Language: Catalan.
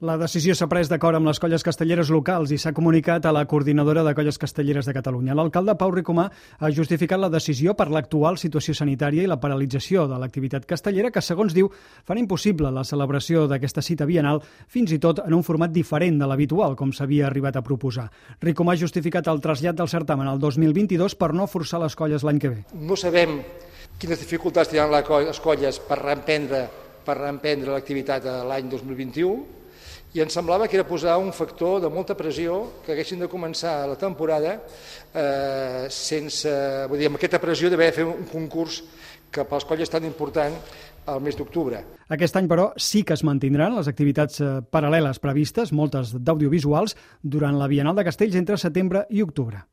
La decisió s'ha pres d'acord amb les colles castelleres locals i s'ha comunicat a la coordinadora de colles castelleres de Catalunya. L'alcalde Pau Ricomà ha justificat la decisió per l'actual situació sanitària i la paralització de l'activitat castellera que, segons diu, fan impossible la celebració d'aquesta cita biennal, fins i tot en un format diferent de l'habitual, com s'havia arribat a proposar. Ricomà ha justificat el trasllat del certamen al 2022 per no forçar les colles l'any que ve. No sabem quines dificultats tindran les colles per reemprendre l'activitat l'any 2021, i ens semblava que era posar un factor de molta pressió que haguessin de començar la temporada amb aquesta pressió d'haver de fer un concurs que per les colles és tan important al mes d'octubre. Aquest any, però, sí que es mantindran les activitats paral·leles previstes, moltes d'audiovisuals, durant la Biennal de Castells entre setembre i octubre.